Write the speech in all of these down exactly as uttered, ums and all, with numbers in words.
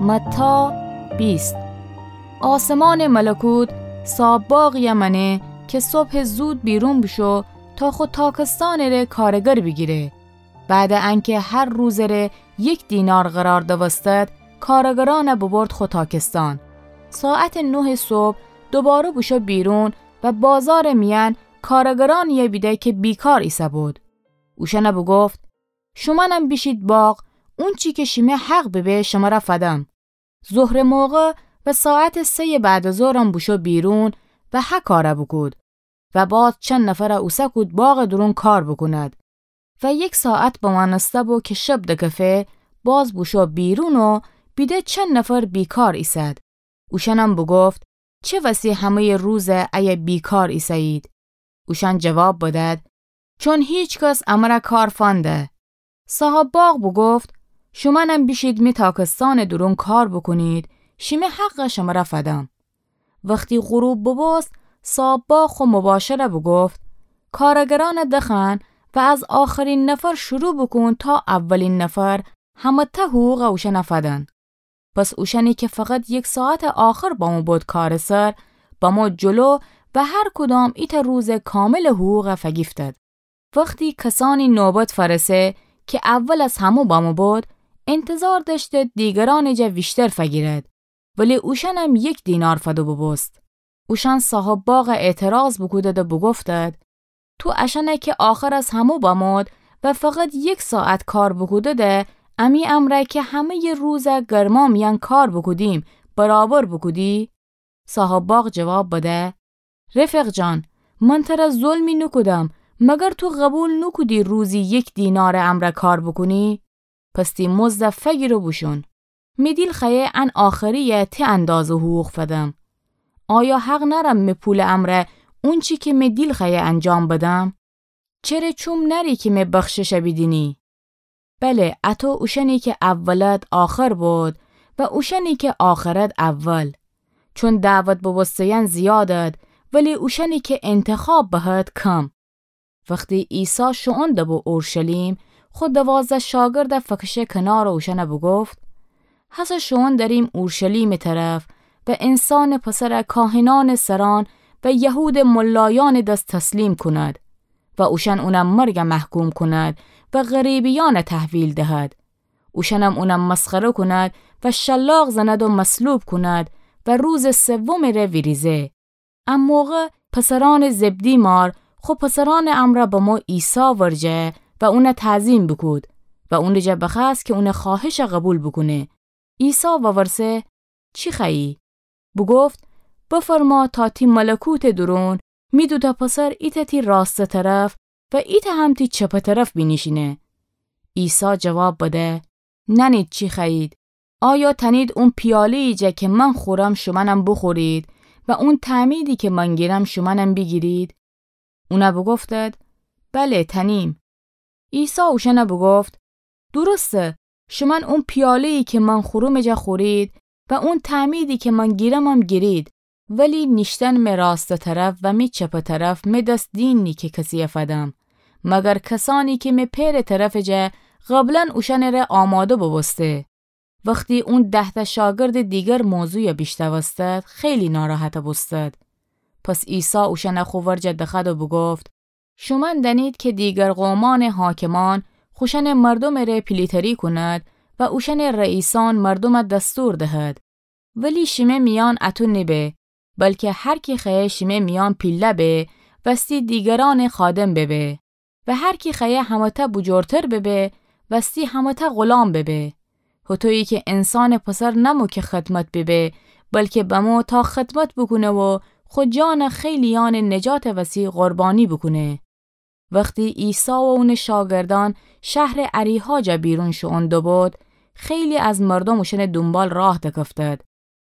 متی بیست. آسمانٚ ملکوت صاحاب‌باغیَ مأنه کی صبحٚ زود بیرون بوشو تا خو تاکستانٚ ره کارگر بیگیره. بعدٚ انکی هر روزٚ ره یک دینار قرار دوستد، کارگرأنَ ببرد خو تاکستان. ساعتٚ نهٚ صبح دوباره بوشو بیرون و بازارٚ میأن کارگرأنیَ بیده کی بیکار ایسه‌بود. اوشأنَ بوگفت: شومأنم بیشید باغ، اونچی کی شیمه حق ببه شمره فدم. ظهرٚ موقع و ساعتٚ سه‌یٚ بعدٚ ظهرم بوشو بیرون و هه کارَ بوکود. و باز چند نفرَ اوسه کود باغٚ دورون کار بوکوند. و یک ساعت بمأنسته بو کی شب دکفه، باز بوشو بیرون و بیده چند نفر بیکار ایسد. اوشأنم بوگفت: چه وسی همه‌یٚ روز ایه بیکار ایسه‌یید؟ اوشأن جواب بدد: چون هیکس امره کار فنده. صاحاب‌باغ بوگفت: شومأنم بیشید می تاکستانٚ دورون کار بوکونید، شیمه حقَ شمره فدم. وختی غروب بوبوست، صاحاب‌باغ خو مباشرَ بوگفت: کارگرأنَ دخوأن و از آخرین نفر شروع بوکون تا اولین نفر، همه‌تأ حقوقَ اوشأنَ فدن. پس اوشأنی کی فقط یک ساعتٚ آخر بمو بود کارٚ سر، بمو جلو و هر کدام ایتأ روزٚ کاملٚ حقوقَ فگیفتد. وختی کسأنی نوبت فأرسه کی اول از همو بمو بود، انتظار دأشتید دیگرأنٚ جا ویشتر فگیرد، ولی اوشأنم یک دینار فده بوبوست. اوشأن صاحاب‌باغَ اعتراض بوکودد و بوگفتد: تو اشأنَ کی آخر از همو بمود و فقط یک ساعت کار بوکودده، امی امرأ کی همه‌یٚ روزَ گرما میأن کار بوکودیم، برابر بوکودی؟ صاحاب‌باغ جواب بده: رفیق جان، من تره ظلمی نوکودم، مگر تو قبول نوکودی روزی یک دینارٚ امرأ کار بوکونی؟ پس تی مزدَ فگیر و بوشون. می دیل خوأیه ان آخریَ تی اندازه حقوق فدم. آیا حق نأرم می پولٚ امرأ اونچی کی می دیل خوأیه انجام بدم؟ چره چوم نأری کی می بخششَ بیدینی؟ بله، اتو اوشأنی کی اولد آخر بود و اوشأنی کی آخرد اول. چون دعوت بوبوسته‌یأن زیادد، ولی اوشأنی کی انتخاب بهد کم. وختی عیسی شوئون دبو اورشلیم، خو دوازده شاگردَ فکشه کنار و اوشأنَ بوگفت: هسه شوئون دأریم اورشلیمٚ طرف و انسانٚ پسرَ کاهنأنٚ سرأن و یهودٚ ملایأنٚ دس تسلیم کونید و اوشأن اونَ مرگَ محکوم کونید و غریبیأنَ تحویل دهید. اوشأنم اونَ مسخره کونید و شلاق زنید و مصلوب کونید و روزٚ سومٚ ره ویریزه. ا موقع پسرأنٚ زبدی مار خو پسرأنٚ امرأ بمو عیسی ورجه و اونَ تعظیم بوکود و اونٚ جا بخوأست کی اونٚ خوأهشَ قبول بوکونه. عیسی وورسه: چی خوأیی؟ بوگفت: بفرما تا تی ملکوتٚ دورون می دوتأ پسر ایتأ تی راستٚ طرف و ایتأ هم تی چپٚ طرف بینیشینه. عیسی جواب بده: نأنید چی خوأیید. آیا تأنید اون پیاله‌یی جا کی من خورم شومأنم بوخورید و اون تعمیدی کی من گیرم شومأنم بیگیرید؟ اونَ بوگفتد: بله، تأنیم. عیسی اوشأنَ بوگفت: درسته، شومأن اون پیاله‌یی کی من خورومٚ جا خورید و اون تعمیدی کی من گیرمم گیرید، ولی نیشتن می راستٚ طرف و می چپٚ طرف می دس دین نی کی کسیَ فدم، مگر کسأنی کی می پئرٚ طرفٚ جا قبلا اوشأنٚ ره آماده بوبوسته. وختی اون ده‌تأ شاگردٚ دیگر موضوعَ بیشنوستد، خیلی ناراحت بوستد. پس عیسی اوشأنَ خو ورجه دخوأد و بوگفت: شومأن دأنید کی دیگر قومأنٚ حاکمأن خوشأنٚ مردومٚ ره پیلی‌تری کونید و اوشأنٚ رئیسأن مردومَ دستور دهید. ولی شیمه میأن اطو نیبه، بلکی هر کی خوأیه شیمه میأن پیله به، وستی دیگرأنٚ خادم ببه. و هر کی خوأیه همه‌تأ بوجورتر ببه، وستی همه‌تأ غلام ببه. هوطویی کی انسانٚ پسر نأمو کی خدمت ببه، بلکی بمو تا خدمت بوکونه و خو جانَ خیلیأنٚ نجاتٚ وسی قربانی بوکونه. وختی عیسی و اونٚ شاگردأن شهرٚ اریحا جا بیرون شوئون دوبود، خیلی از مردوم اوشأنٚ دونبال راه دکفتد.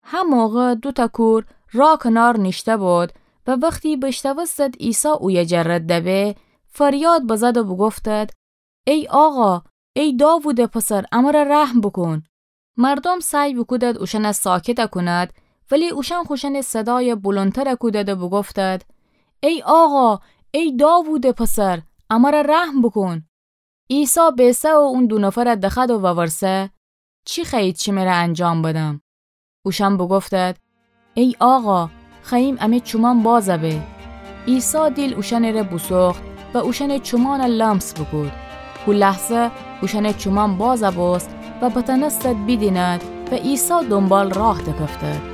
هموقع دوتأ کور راه کنار نیشته‌بود و وختی بیشنوستد عیسی اویه جا رد دبه، فریاد بزد و بوگفتد: ای آقا، ای داوودٚ پسر، امر رحم بوکون. مردوم سعی بوکودد اوشأنَ ساکت کونید، ولی اوشأن خوشأنٚ صدایَ بلندتر کودید و بوگفتید: ای آقا، ای داوودٚ پسر، امر رحم بوکون. عیسی بیسه و اون دو نفرَ دخوأد و وورسه: چی خوأیید شمره انجام بدم؟ اوشأن بوگفتد: ای آقا، خوأییم امی چومأن بازَ به. عیسی دیل اوشأنٚره بوسوخت و اوشأنٚ چومأنَ لمس بوکود. هو لحظه اوشأنٚ چومأن بازَ بوست و بتأنستد بیدیند و عیسی دونبال راه دکفتد.